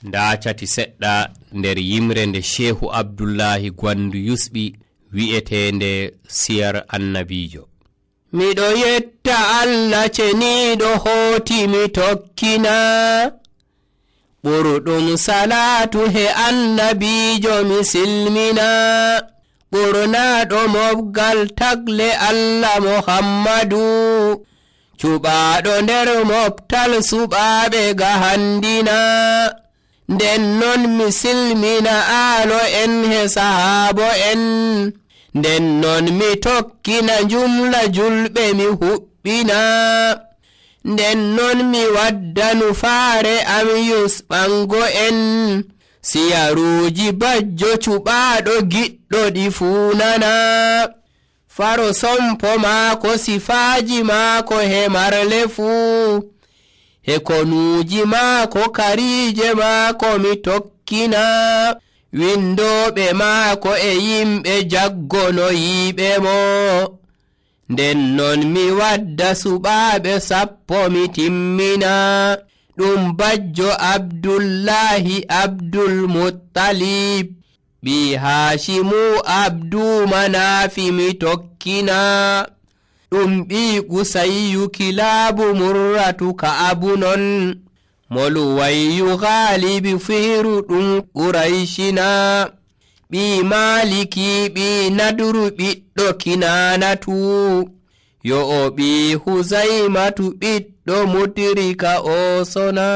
nda cati seɗɗa nder yimre nde Shehu Abdullahi Gwandu yusɓi wi'etende siyar annabijo. Miɗo yetta Allah ceniɗo hooti mi tokkina, ɓurɗum salatu he annabijo mi silmina, ɓurnaɗo mobgal tagle Allah Muhammadu, cuɓaɗo nder moftal suɓaɓe gahandina. Nden non mi silmina aalo en he sahabo en, nden non mi tokkina jumla julɓe mi huɓɓina, nden non mi waddanu faare am yusɓango en, siyaruji bajjo cuɓaɗo giɗɗo ɗi funana. Faro sompo maako sifaaji maako he marle fuu, he konuuji maako kariije maako mi tokkina, windoɓe maako e yimɓe jaggonoyiɓe mo. Nden non mi wadda suɓaɓe 10 mi timmina, ɗum bajjo Abdullahi Abdulmuttalib, ɓi Hashimu Abdu Manafi mi tokkina, ɗum ɓi Kusayyu Kilabu Murratu Ka'abu non, Moluwayyu Ghalibi Fihiru ɗum Qurayshina, ɓi Maliki ɓi Nadru ɓiɗɗo Kinanatu, yo o ɓi Huzaymatu ɓiɗɗo Mutrika o sona.